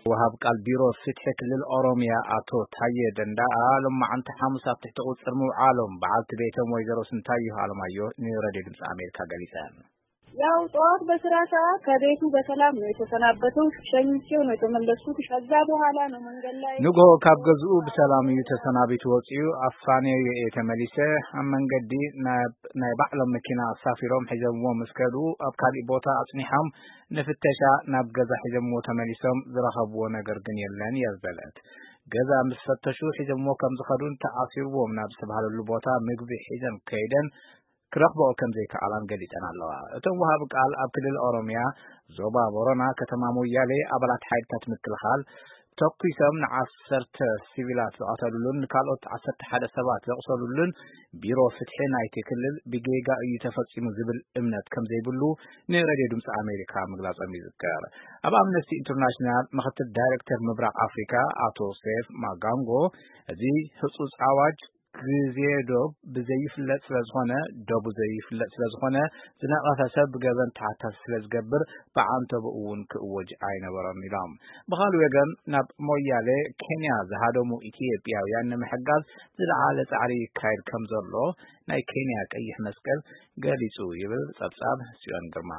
ወሃብ ቃል ቢሮ ፍትሒ ክልል ኦሮሚያ ኣቶ ታየ ደንዳኣ ሎማዓንቲ ሓሙስ ኣብ ትሕቲ ቁፅር ምውዓሎም በዓልቲ ቤቶም ወይዘሮ ስንታየሁ ኣለማየሁ ንሬድዮ ድምፂ ኣሜሪካ ገሊፀን። ያው ጠዋት በስራ ሰዓት ከቤቱ በሰላም ነው የተሰናበተው። ሸኝቼው ነው የተመለስኩት። ከዛ በኋላ ነው መንገድ ላይ ንግሆ ካብ ገዝኡ ብሰላም እዩ ተሰናቢቱ ወፂኡ። ኣፋንየዮ እየ ተመሊሰ። ኣብ መንገዲ ናይ ባዕሎም መኪና ኣሳፊሮም ሒዞምዎ ምስ ከዱ ኣብ ካሊእ ቦታ ኣፅኒሖም ንፍተሻ ናብ ገዛ ሒዞምዎ ተመሊሶም። ዝረኸብዎ ነገር ግን የለን እያ ዝበለት። ገዛ ምስ ፈተሹ ሒዞምዎ ከም ዝኸዱን ተኣሲርዎም ናብ ዝተባህለሉ ቦታ ምግቢ ሒዘን ከይደን ክረኽብኦ ከም ዘይከኣላን ገሊፀን ኣለዋ። እቶም ወሃቢ ቃል ኣብ ክልል ኦሮሚያ ዞባ ቦረና ከተማ ሞያሌ ኣባላት ሓይልታት ምክልኻል ተኲሶም ንዓሰርተ ሲቪላት ዝቐተሉሉን ንካልኦት ዓሰርተ ሓደ ሰባት ዘቑሰሉሉን ቢሮ ፍትሒ ናይቲ ክልል ብጌጋ እዩ ተፈፂሙ ዝብል እምነት ከም ዘይብሉ ንሬድዮ ድምፂ ኣሜሪካ ምግላፆም ይዝከር። ኣብ ኣምነስቲ ኢንተርናሽናል ምክትል ዳይሬክተር ምብራቕ ኣፍሪካ ኣቶ ሴፍ ማጋንጎ እዚ ህፁፅ ኣዋጅ ግዜ ዶብ ብዘይፍለጥ ስለዝኾነ ደቡ ዘይፍለጥ ስለዝኾነ ዝነቐፈ ሰብ ብገበን ተሓታቲ ስለዝገብር ብዓንተቦ እውን ክእወጅ ኣይነበሮን ኢሎም። ብኻልእ ወገን ናብ ሞያሌ ኬንያ ዝሃደሙ ኢትዮጵያውያን ንምሕጋዝ ዝለዓለ ፃዕሪ ይካየድ ከም ዘሎ ናይ ኬንያ ቀይሕ መስቀል ገሊፁ ይብል ፀብፃብ ጽዮን ግርማ።